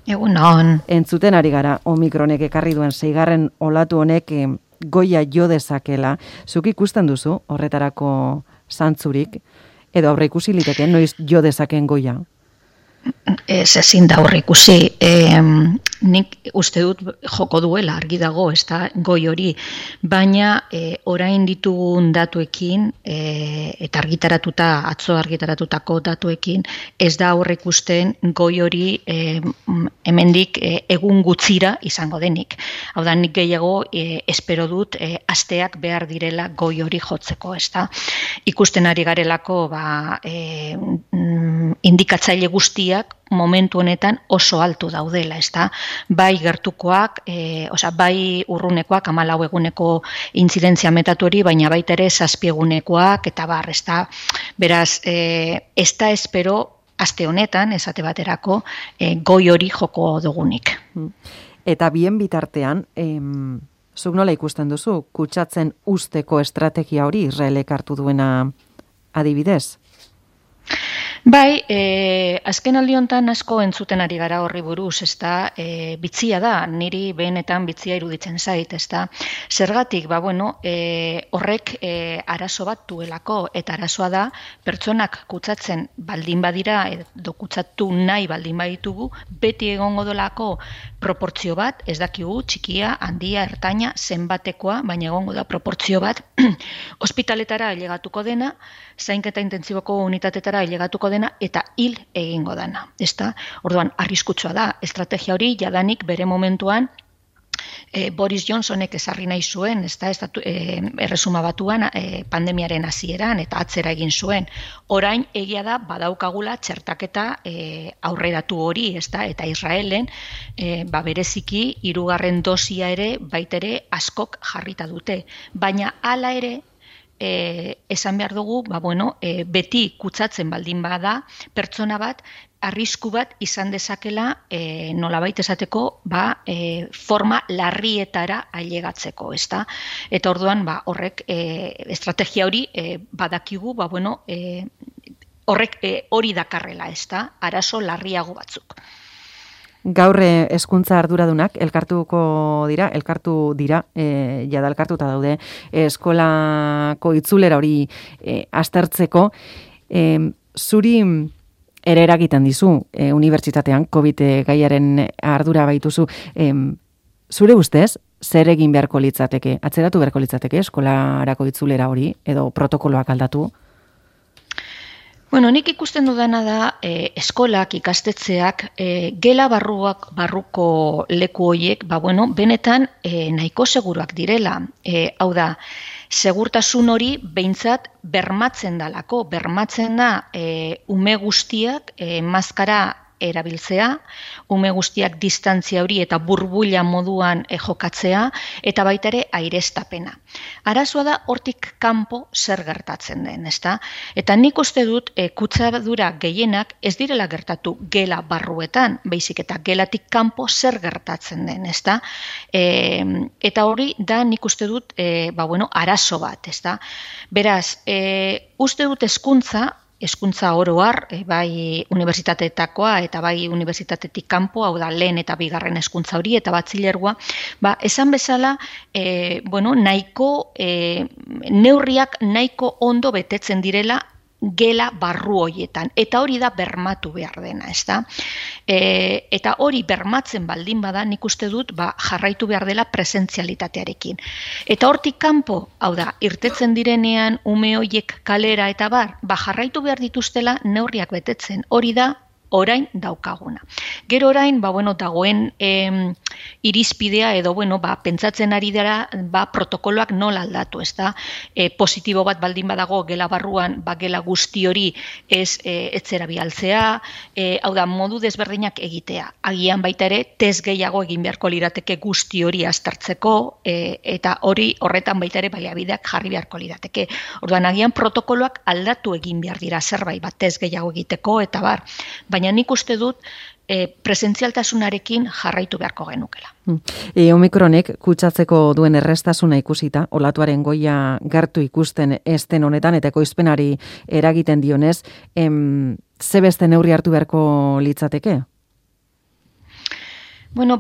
Egunon. Entzuten ari gara, Omikronek ekarri duen 6. olatu honek goia jo dezakela. Zuk ikusten duzu horretarako zantzurik, edo aurre ikusi liteke, noiz jo dezaken goia? Ez ezin da aurreikusi. Nik uste dut joko duela argi dago, ez da goi hori, baina orain ditugun datuekin eta atzo argitaratutako datuekin ez da aurreikusten goi hori hemendik egun gutxira izango denik. Hau da, nik gehiago espero dut asteak behar direla goi hori jotzeko, ez da. Ikusten ari garelako indikatzaile guztiak momentu honetan oso altu daudela, ezta? Bai gertukoak, bai urrunekoak, 14 eguneko intzidentzia metatu hori, baina baita ere 7 egunekoak eta bar, ezta? Beraz, ez da espero aste honetan, esate baterako, goi hori joko dugunik. Eta bien bitartean, zuk nola ikusten duzu, kutsatzen usteko estrategia hori Israelek hartu duena adibidez? Bai, azken aldi honetan asko entzuten ari gara horri buruz, ezta, bitzia da, niri behenetan bitzia iruditzen zait, ezta. Zergatik, horrek arazo bat duelako, eta arazoa da, pertsonak kutsatzen baldin badira, edo kutsatu nahi baldin baditugu, beti egongo dolako proportzio bat, ez dakigu, txikia, handia, ertaina, zenbatekoa, baina egongo da proportzio bat, ospitaletara ailegatuko dena, zainketa intentsiboko unitatetara ailegatuko dena eta hil egingo dena, ezta? Orduan, arriskutsua da, estrategia hori jadanik bere momentuan Boris Johnsonek ezarri nahi zuen, ezta, Erresuma Batuan pandemiaren hasieran eta atzera egin zuen. Orain egia da badaukagula txertaketa aurreratu hori, ezta, eta Israelen bereziki 3. dosia ere baitere askok jarrita dute, baina hala ere esan behar dugu, beti kutsatzen baldin bada, pertsona bat, arrisku bat izan dezakela nolabait esateko forma larrietara ailegatzeko, ezta? Eta orduan, horrek estrategia hori badakigu, horrek hori dakarrela, ezta? Arazo larriago batzuk. Gaur hezkuntza arduradunak elkartu dira, jada elkartuta daude eskolako itzulera hori aztertzeko. Zuri ere eragiten dizu unibertsitatean COVID gaiaren ardura baituzu. Zure ustez, zer egin beharko litzateke? Atzeratu beharko litzateke eskolarako itzulera hori edo protokoloak aldatu? Nik ikusten dudana da eskolak, ikastetxeak, gela barruko leku horiek, benetan nahiko seguruak direla. Hau da, segurtasun hori behintzat bermatzen da ume guztiak maskara erabiltzea, ume guztiak distantzia hori eta burbuila moduan jokatzea, eta baita ere aireztapena. Arazoa da hortik kanpo zer gertatzen den, ezta? Eta nik uste dut kutsadura gehienak ez direla gertatu gela barruetan, baizik eta gelatik kanpo zer gertatzen den, ezta? Eta hori da nik uste dut arazo bat, ezta? Beraz, uste dut hezkuntza oro har, bai unibertsitateetakoa eta bai unibertsitatetik kanpo, hau da lehen eta bigarren hezkuntza hori eta batxilergoa, esan bezala, nahiko neurriak nahiko ondo betetzen direla gela barru horietan, eta hori da bermatu behar dena, ezta? Eta hori bermatzen baldin bada, nik uste dut jarraitu behar dela presentzialitatearekin. Eta hortik kanpo, hau da, irtetzen direnean ume horiek kalera eta jarraitu behar dituztela neurriak betetzen, hori da orain daukaguna. Gero orain, dagoen irizpidea edo, pentsatzen ari dara, protokoloak nola aldatu, ez da? Positibo bat baldin badago gela barruan, gela guzti hori etzera bialtzea, hau da, modu desberdinak egitea. Agian baita ere, test gehiago egin beharko lirateke guzti hori aztertzeko, eta horretan baita ere baliabideak jarri beharko lirateke. Orduan, agian protokoloak aldatu egin behar dira zerbait, test gehiago egiteko, eta baina nik uste dut presentzialtasunarekin jarraitu beharko genukela. Omikronek kutsatzeko duen errestasuna ikusita, olatuaren goia gertu ikusten esten honetan eta ekoizpenari eragiten dionez, ze beste neurri hartu beharko litzateke? Bueno,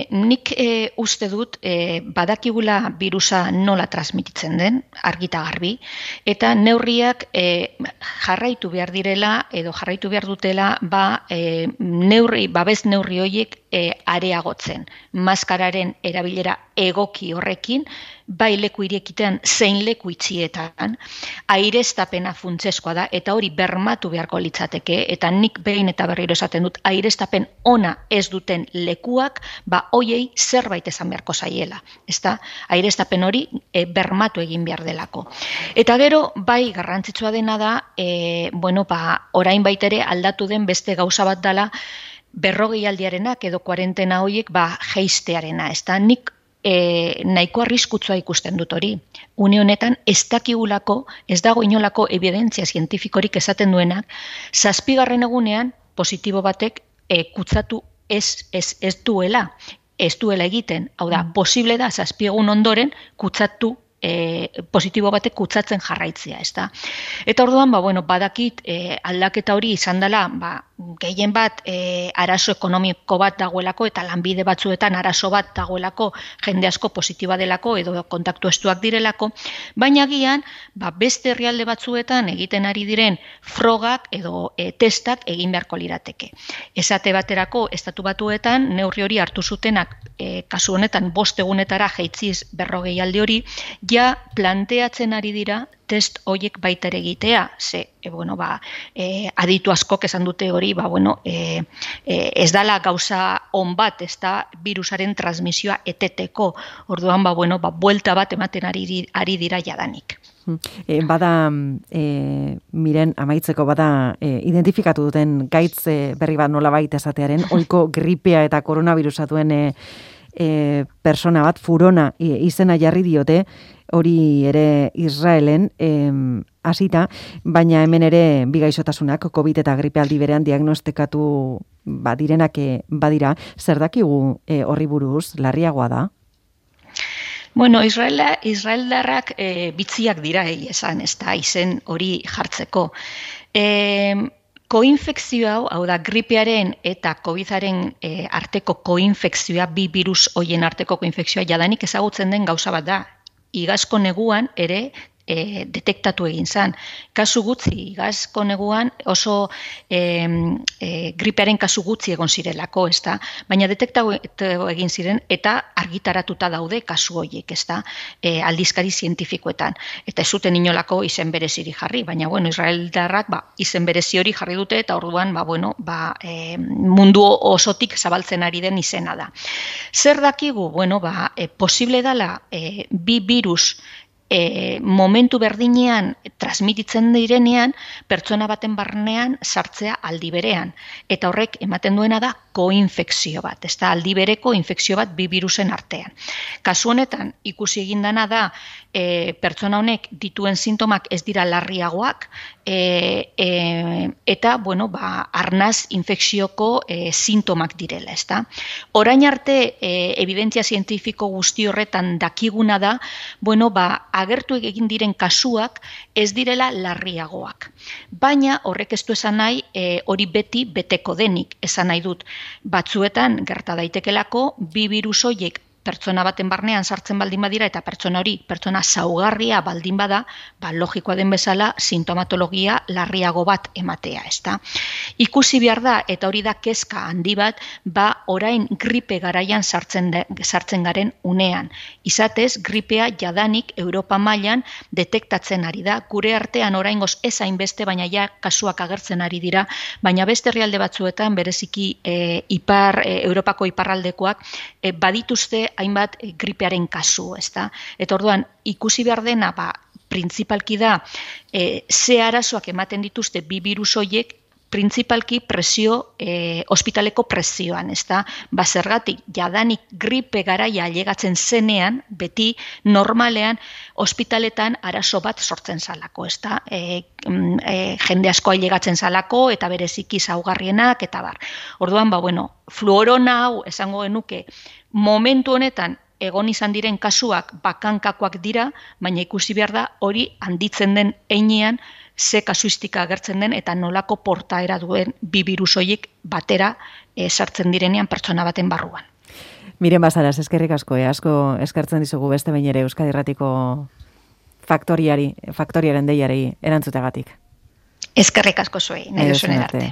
nik uste dut badakigula birusa nola transmititzen den, argita garbi, eta neurriak jarraitu behar direla edo jarraitu behar dutela babes neurri horiek areagotzen. Maskararen erabilera egoki horrekin, bai leku irekitean zein leku itxietan, aireztapena funtsezkoa da, eta hori bermatu beharko litzateke, eta nik behin eta berriro esaten dut, aireztapen ona ez duten lekuak, hoiei zerbait esan beharko zaiela. Ezta, aireztapen hori bermatu egin behar delako. Eta gero, bai garrantzitsua dena da, orain baitere aldatu den beste gauza bat dela, 40 aldiarenak edo kuarentena horiek jeistearena. Ezta, nik nahiko arriskutsua ikusten dut hori. Une honetan ez dakigulako, ez dago inolako evidentzia zientifikorik esaten duenak, 7. egunean positibo batek kutsatu ez duela egiten. Hau da, posible da 7 egun ondoren kutsatu positibo batek kutsatzen jarraitzea, ezta. Eta orduan, badakit aldaketa hori izan dela, gehien bat arazo ekonomiko bat dagoelako eta lanbide batzuetan arazo bat dagoelako, jende asko positiba delako edo kontaktu estuak direlako, baina agian beste herrialde batzuetan egiten ari diren frogak edo testak egin beharko lirateke. Esate baterako estatu batuetan neurri hori hartu zutenak kasu honetan 5 egunetara jaitziz 40 aldi hori, ja planteatzen ari dira test horiek baita ere egitea, aditu askok esan dute hori, ez dala gauza on bat, ez da virusaren transmisioa eteteko, orduan, buelta bat ematen ari dira jadanik. Bada, miren, amaitzeko bada, identifikatu duten gaitz berri bat nolabait esatearen, ohiko gripea eta koronavirusa duen persona bat, Furona izena jarri diote, hori ere Israelen hasita, baina hemen ere bi gaixotasunak, COVID eta gripe aldi berean diagnostikatu direnak badira, zer dakigu horri buruz, larriagoa da? Bueno, Israeldarrak bitziak dira esan, ez da, izen hori jartzeko. Koinfekzio hau da, gripearen eta COVIDaren arteko koinfekzioa, bi virus hoien arteko koinfekzioa jadanik ezagutzen den gauza bat da. Igazko neguan ere detektatu egin zen. Kasu gutxi, igazko neguan oso gripearen kasu gutxi egon zirelako, ezta? Baina detektatu egin ziren eta argitaratuta daude kasu horiek, ezta? Aldizkari zientifikoetan. Eta ez zuten inolako izen bereziri jarri, baina Israeldarrak izen berezi hori jarri dute eta orduan mundu osotik zabaltzen ari den izena da. Zer dakigu? Posible dela bi virus momentu berdinean transmititzen direnean pertsona baten barnean sartzea aldi berean. Eta horrek ematen duena da koinfekzio bat, ez da aldi bereko infekzio bat bi virusen artean. Kasu honetan ikusi egin dana da pertsona honek dituen sintomak ez dira larriagoak eta arnaz infekzioko sintomak direla, ez da. Orain arte evidentzia zientifiko guzti horretan dakiguna da, agertu egin diren kasuak ez direla larriagoak. Baina horrek ez du esan nahi hori beti beteko denik, esan nahi dut. Batzuetan gerta daitekelako bi virus horiek pertsona baten barnean sartzen baldin badira eta pertsona saugarria baldin bada, logikoa den bezala sintomatologia larriago bat ematea, ezta. Ikusi behar da, eta hori da kezka handi bat, orain gripe garaian sartzen garen unean. Izatez, gripea jadanik Europa mailan detektatzen ari da, gure artean oraingoz ez hainbeste, baina ja kasuak agertzen ari dira, baina beste herrialde batzuetan, bereziki Europako iparraldekoak, badituzte hainbat gripearen kasu, ezta? Eta orduan, ikusi behar dena, printzipalki da, ze arazoak ematen dituzte bi virus horiek, printzipalki ospitaleko presioan, ezta? Zergatik, jadanik gripe garaia ailegatzen zenean, beti normalean ospitaletan arazo bat sortzen zalako, ezta? Jende asko ailegatzen zalako eta bereziki zaugarrienak eta bar. Orduan, fluorona hau esango genuke momentu honetan egon izan diren kasuak bakankakoak dira, baina ikusi behar da hori handitzen den heinean ze kasuistika agertzen den eta nolako portaera duen bi birus horiek batera sartzen direnean pertsona baten barruan. Miren Basaras, eskerrik asko, asko eskertzen dizugu beste behin ere Euskadi Irratiko faktoriaren deiari erantzutegatik. Eskerrik asko zuei, nahi duzuen arte.